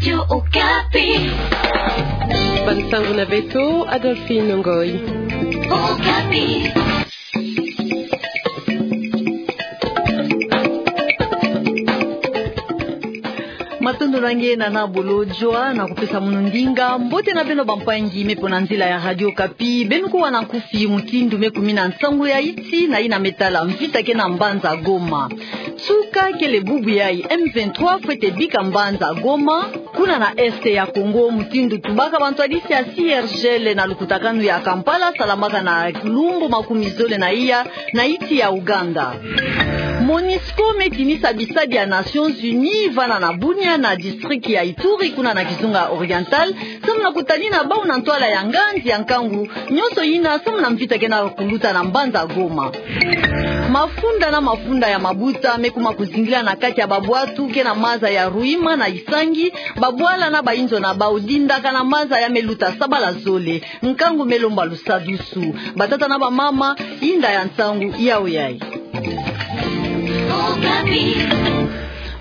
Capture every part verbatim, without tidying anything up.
Radio Okapi. Bansangu na beto, Adolphine Ngoyi. Okapi. Matondo na nge, Nana Bolodjwa, na kupesa mono ndinga. Mbote na beno bampangi me mpo na nzila ya Radio Okapi. Beno kuwa na nkufi mutindu me kumina nsangu ya iti na yina me tala mvita kena mbanza Goma. Nsuka kele bubu yayi, M vingt-trois fwete bika mbanza Goma, kuna na Est ya Congo, mutindu tubaka bantwadisi ya C R G L na lukutakanu ya Kampala, salamaka na lumbu makumi zole na iya na iti ya Ouganda. Monusco me tinisa bisadi ya Nations Unies vana na Bunia, na district ya Ituri, kuna na kizunga Oriental, samu na kutanina bau na ntwala ya nganzi ya nkangu nyonso yina, samu na mvita kena kuluta na mbanza Goma. Mafunda na mafunda ya mabuta me kuma kuzingila na kati ya babwatu kena maza ya Ruima na Isangi, babwala na bainzo na bau dindaka na maza ya me luta sabala zole, nkangu me lomba lusadusu. Batata na bamama, yinda ya nsangu yawu yayi.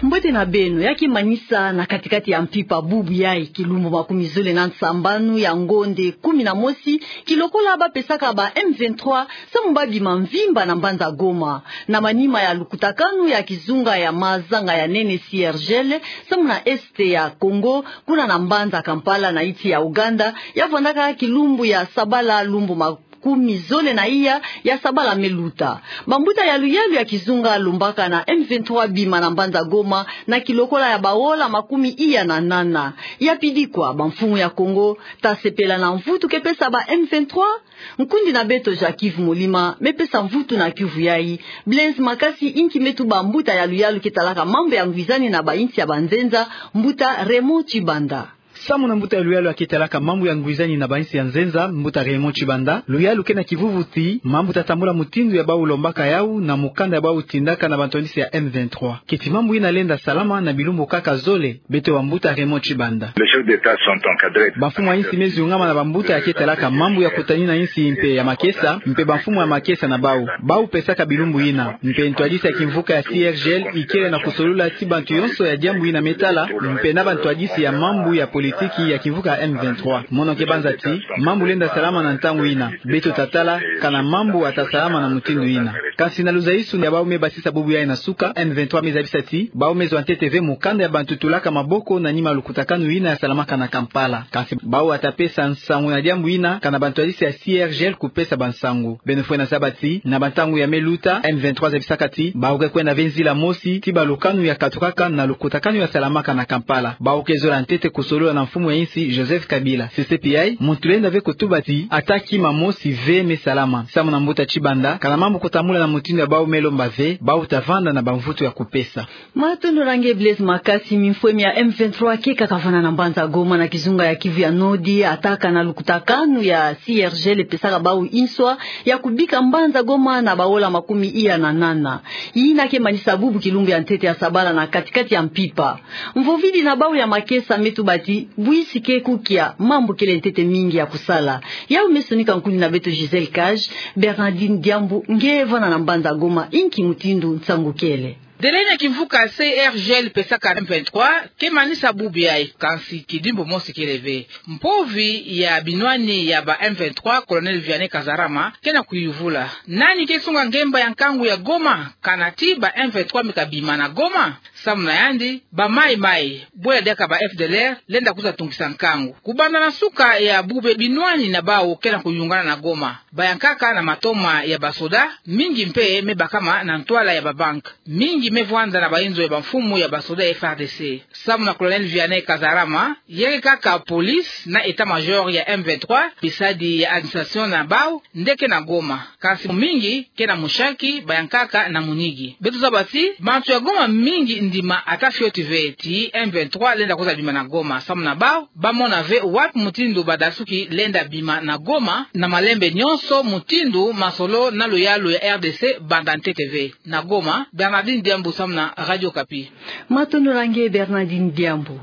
Mbote na beno, ya ke manisa na katikati ya mpimpa bubu yayi, kilumbu makumi zole na nsambanu ya ngonde kumi na mosi, kilokola bapesaka ba M vingt-trois samu babima mvimba na mbanza Goma. Na manima ya lukutakanu ya kizunga ya mazanga ya nene C R G L, samu na Est ya Congo, kuna na mbanza Kampala na iti ya Ouganda, ya vwandaka kilumbu ya sabala, lumbu makumi zole na iya ya sabala me luta. Bambuta ya luyalu ya kizunga lombaka na M vingt-trois bima na mbanza Goma, na kilokola ya baola makumi iya na nana. Ya pidi kwa, bamfumu ya Congo ta sepela na mvutu ke pesa ba M vingt-trois? Nkundi na beto Jacques Yves Molima me pesa mvutu na kiuvu yayi. Blaise Makasi, inki me tuba mbuta ya luyalu ke talaka mambu ya ngwizani na bainsi ya banzenza, mbuta Raymond Tshibanda? Samu na mbuta ya luyalu ya ke talaka mambu ya ngwizani na bainsi ya nzenza, mbuta Raymond Tshibanda, luyalu ke na kivuvu ti mambu ta tambula mutindu ya bau lombaka yawu na mukanda ya bau tindaka na bantwadisi ya M vingt-trois. Keti mambu yina lenda salama na bilumbu kaka zole, beto bambuta Raymond Tshibanda. Les chefs d'État sont encadrés. Bamfumu ya insi me ziungama na bambuta ya ke talaka mambu ya kutanina insi mpe ya makesa, mpe bamfumu ya makesa na bau. Bau pesaka bilumbu yina. Mpe ntwadisi ya kimvuka ya C R G L ikele na kusolula ti bantu yonso ya diambu yina me tala, mpe na bantwadisi ya mambu ya politiki ya kimvuka ya M vingt-trois. Mono ke banza ti mambu lenda salama na ntangu yina. Beto ta tala kana mambu ata salama na mutindu yina. Kansi na luzaisu ya bau me basisa bubu yayi na suka, M vingt-trois me zabisa ti bau me zwa ntete ve mukanda ya bantu tulaka maboko na nima lukutakanu yina ya salamaka na Kampala. Kansi bau ata pesa nsangu na diambu yina kana bantwadisi ya C R G L kupesa bansangu. Beno fwene zaba ti na bantangu ya me luta, M vingt-trois zabisaka ti bau ke kwenda ve nzila mosi ti balukanu ya katukaka na lukutakanu ya salamaka na Kampala. Bau ke zola ntete kusolola na mfumu ya insi Joseph Kabila. C C P I, muntu lenda ve kutuba ti ata kima mosi ve me salama. Samu na mbuta Tshibanda, kana mambu kutambula na mutindu ya bau me lomba ve, bau ta vanda na bamvutu ya kupesa. Matondo na nge Blaise Makasi. Mimfwemi ya M vingt-trois ke kaka vana na mbanza Goma na kizunga ya Kivu ya Nord, ata kana lukutakanu ya C R G L epesaka bau inswa ya kubika mbanza Goma na baola makumi iya na nana. Yina ke manisa bubu kilumbu ya ntete ya sabala na katikati ya mpimpa. Mvovidi na bau ya makesa me tuba ti bwisi ke kukia, mambu kele ntete mingi ya kusala. Yawu me sonika nkundi na beto Gisèle Cage. Bernardine Diambu, nge vana na mbanza Goma, inki mutindu nsangu kele? Delai na kimvuka C R G L pesaka M vingt-trois ke manisa bubu yayi, kansi kidimbu mosi kele ve. Mpovi ya binwani ya ba M vingt-trois, Colonel Vianney Kazarama, ke na kuyuvula: Nani ke sunga ngemba ya nkangu ya Goma, kana ti ba M vingt-trois me kabima na Goma? Samu na yandi, ba mayi-mayi, bwela diaka ba F D L R, lenda kwiza tungisa nkangu. Kubanda na suka ya bubu, binwani na bau ke na kuyungana na Goma. Bayankaka na matoma ya basoda, mingi mpe me bakama na ntwala ya babank. Mingi me vwanda na bainzo ya bamfumu ya basoda ya F A R D C. Samu na Colonel Vianney Kazarama, ya ke kaka police na état-major ya M vingt-trois, bisadi ya administration na bau nde ke na Goma. Kansi mingi ke na mushaki, bayankaka na munigi. Beto zaba ti bantu ya Goma mingi ndima ata fioti ve ti M vingt-trois lenda kwiza bima na Goma. Samu na bau, bamona ve wapi mutindu badasuki lenda bima na Goma, na malembe nyonso, mutindu masolo na luyalu ya R D C banda ntete ve. Na Goma, Bernardine Diambu samu na Radio Okapi. Matondo na nge Bernardine Diambu.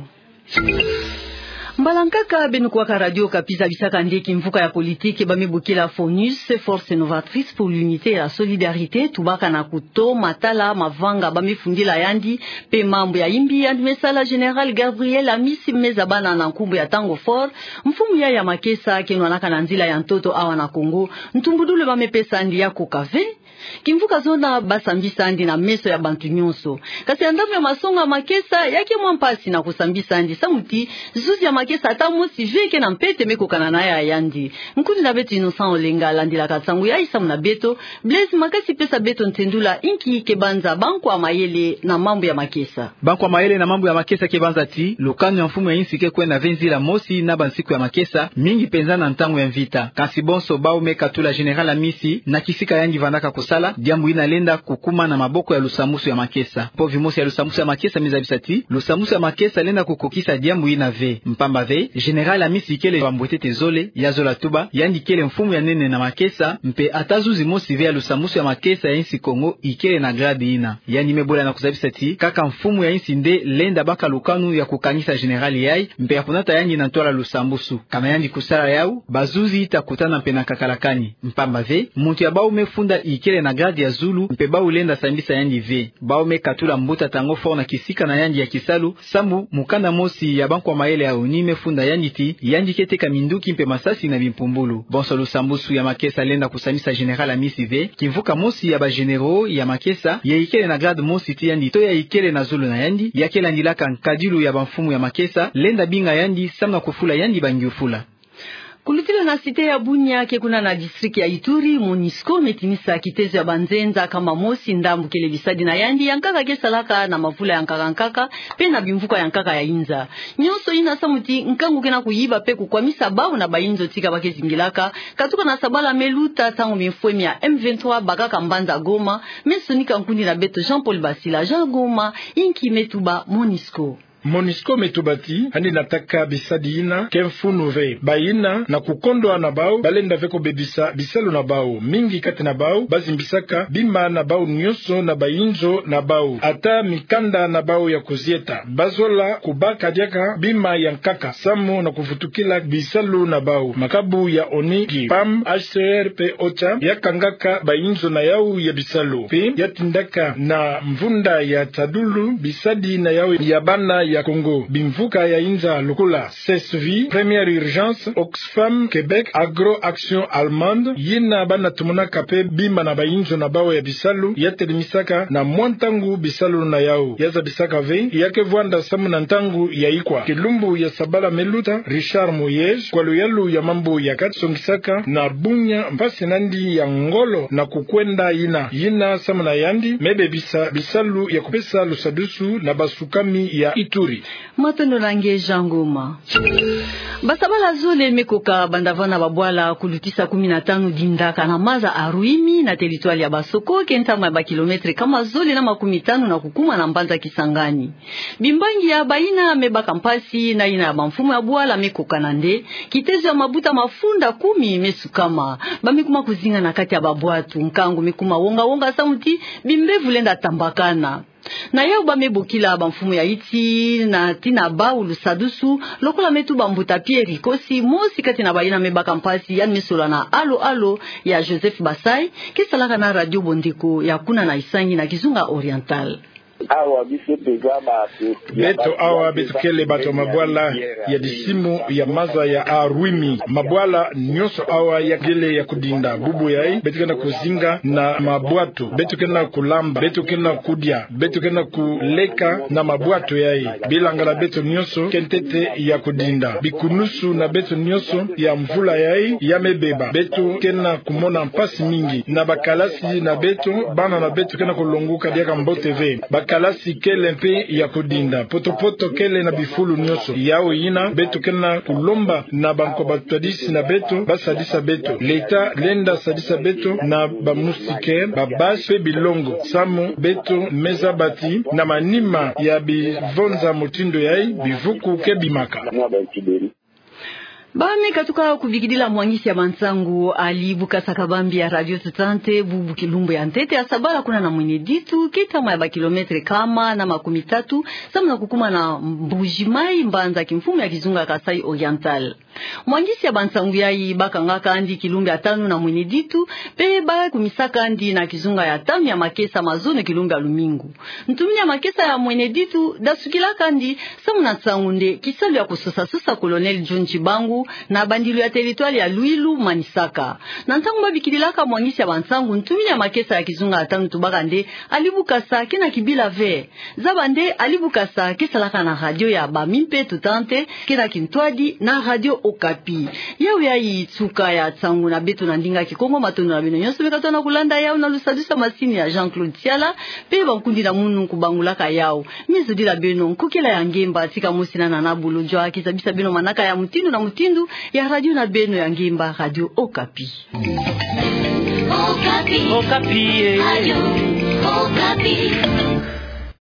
Mbala nkaka beno kuwaka Radio Okapi, zabisaka nde kimvuka ya politiki ba me bokila FONUS, Force Novatrice pour l'Unité et la Solidarité, tubaka na kuto matala mavanga ba me fundila yandi, mpe mambu ya imbi yandi me sala. Général Gabriel Amisi me zabana na nkumbu ya Tango Fort, mfumu ya ya makesa ke nwanaka na nzila ya ntoto awa na Kongo, ntumbudulu ba me pesa yandi ya koka ve. Kimvuka zona ba sambisa yandi na meso ya bantu nyonso. Kasi ya ndambu ya masonga makesa, ya ke mwa mpasi na kusambisa yandi samu ti zuzi ya makesa ata mosi ve ke na mpete me kokana na ya yandi. Nkundi na beto Innocent Olenga landilaka nsangu yayi samu na beto. Blaise Makasi pesa beto ntendula inki ke banza bankwa mayele na mambu ya makesa. Bankwa mayele na mambu ya makesa ke banza ti lukanu ya mfumu ya insi ke kwenda ve nzila mosi na bansiku ya makesa, mingi mpenza na ntangu ya mvita. Kasi bonso bau me katula Général Amisi na kisika yandi vandaka kusala, diambu ina lenda kukuma na maboko ya lusambusu ya makesa. Povi mosi ya lusambusu ya makesa me zabisa ti lusambusu ya makesa lenda kukokisa diambu ina ve. Mpamba ve, Général Amisi ikele wa mbwetete zole, ya zola tuba, yandi ikele mfumu ya nene na makesa, mpe ata zuzi mosi ve ya lusambusu ya makesa ya insi Kongo ikele na grade ina. Yandi me bola na kuzabisa ti kaka mfumu ya insi nde lenda baka lukanu ya kukangisa Général yayi, mpe ya kunata yandi na ntwala lusambusu. Kana yandi kusala yau, bazuzi ita kutana mpe na kakalakani. Mpamba ve, muntu ya bau me funda ikele na grade ya zulu, mpe bau lenda sambisa yandi ve. Bau me katula mbuta Tango Fort na kisika na yandi ya kisalu, samu mukanda mosi ya bankwa mayele ya ONU me funda yandi ti yandi ke teka minduki mpe masasi na bimpumbulu. Bonso lusambusu ya makesa lenda kusambisa Général Amisi ve. Kimvuka mosi ya ba généraux ya makesa, ya ikele na grade mosi ti yandi to ya ikele na zulu na yandi, ya ke landilaka nkadilu ya bamfumu ya makesa, lenda binga yandi samu na kufula yandi bangiufula. Kulutila na cité ya Bunia ke kuna na district ya Ituri, MONUSCO me tinisa kitezo ya banzenza kama mosi ndambu kele bisadi na yandi ya nkaka ke salaka na mavula ya nkaka nkaka, mpe na bimvuka ya nkaka ya inza. Nyonso ina samu ti nkangu ke na kuyiba mpe kukwamisa bau na bayinzo tika ba ke zingilaka, katuka na sabala me luta ntangu bimfwemi ya M vingt-trois bakaka mbanza Goma. Me sonika nkundi na beto Jean-Paul Basila. Jean, Goma, inki me tuba MONUSCO? MONUSCO me tuba ti, yandi nataka bisadi ina ke mfunu ve. Bayina na kukondwa na bau, ba lenda ve kubebisa bisalu na bau. Mingi kati na bau, ba zimbisaka bima na bau nyonso na bayinzo na bau. Ata mikanda na bau ya kuzieta, ba zola kubaka diaka bima ya nkaka, samu na kuvutukila bisalu na bau. Makabu ya ONU, PAM, H C R mpe OCHA, ya kangaka bayinzo na yau ya bisalu. Mpe ya tindaka na mvunda ya tadulu bisadi na yau ya bana ya Kongo. Bimvuka ya inza lokola CESV, Première Urgence, Oxfam Québec, Agro Action Allemande, yina bana tumonaka mpe bima na bayinzo na bau ya bisalu, ya telimisaka na mwa ntangu bisalu na yau. Ya zabisaka ve, ya ke vwanda samu na ntangu ya ikwa. Kilumbu ya sabala me luta, Richard Moyes, kwa luyalu ya mambu ya kati, songisaka na Bunia mpasi na yandi ya ngolo na kukwenda ina. Yina samu na yandi me bebisa bisalu ya kupesa lusadusu na basukami ya Ituri. Matondo na nge Jean Ngoma. Basabala zole me koka banda vana babwala kulutisa kumi na tanu dinda kana maza Aruimi na territoire ya Basoko, ke ntama ya ba kilomètre kama zole na makumi tanu na kukuma na mbanza Kisangani. Bimbangi ya bayina me baka mpasi na yina ya bamfumu ya bwala me kokana nde, kitezo ya mabuta mafunda kumi me sukama. Ba me kuma kuzinga na kati ya babwatu, nkangu me kuma wonga-wonga samu ti bimbevo lenda tambakana. Na yau ba me bokila bamfumu ya iti na tina bau lusadusu, lokola me tuba mbuta Pierre Kosi, mosi kati na bayina me baka mpasi, yandi me solola na Alo Alo ya Joseph Basai, ke salaka na Radio Bondeko ya kuna na Isangi na Kizunga Oriental. Awa biso toza ba Beto awa beto kele bato ya mabwala ya disimu ya maza ya Aruimi. Mabwala nyonso awa ya kele ya kudinda. Bubu yayi beto ke na kuzinga na mabwatu. Beto ke na kulamba. Beto ke na kudia. Beto ke na kuleka na mabwatu yayi. Bilanga na beto nyonso ke ntete ya kudinda. Bikunusu na beto nyonso ya mvula yayi ya me beba. Beto ke na kumona mpasi mingi. Na bakalasi na beto, bana na beto ke na kulonguka diaka mbote ve. Bakalasi kele mpe ya kudinda. Poto-poto kele na bifulu nyonso. Yau yina, beto ke na kulomba na banko batwadisi na beto, ba sadisa beto. Leta lenda sadisa beto na ba moustiquaire, ba base mpe bilongo. Samu beto me zaba ti na manima ya bivonza motindo yayi, bivuku ke bimaka. Ba me katuka kubikidila mwangisi ya bansangu, ali bukasa kabambi ya Radio Tutante, bubu kilumbu ya ntete ya sabala kuna na Mwene Ditu, ketama ya ba kilometre kama na makumitatu, samu na kukuma na Mbuji-Mayi, mbanza kimfumu ya kizunga Kasaï Oriental. Mwangisi ya bansangu yayi bakangaka andi kilumbu ya tanu na Mwene Ditu, pe bakumisaka andi na kizunga ya tanu ya makesa mazono kilumbu ya lumingu. Ntumini ya makesa ya Mwene Ditu dasukilaka andi samu na nsangu nde kisalu ya kusosa-sosa Colonel John Tshibangu na bandilu ya territoire ya Luilu, Manisaka. Na ntangu babikidilaka mwangisi ya bansangu, ntumini ya makesa ya kizunga ya tanu tubaka nde ali bukasa ke na kibila ve. Zaba nde ali bukasa ke salaka na radio ya bami mpe Tutante, ke na kintwadi na Radio Okapi. Yawu yayi suka ya nsangu na beto na ndinga Kikongo. Matondo na beno nyonso me katona kulanda yawu na lusadusu masini ya Jean-Claude Siala, pe bankundi na munu kubangulaka yawu. Me zodila beno nkokela ya ngemba, tika mosi na Nana Bolo Jwa, kizabisa beno manaka ya mutindu na mutindu ya radio na beno ya ngemba, Radio Okapi. Okapi. Okapi, eh. Radio Okapi.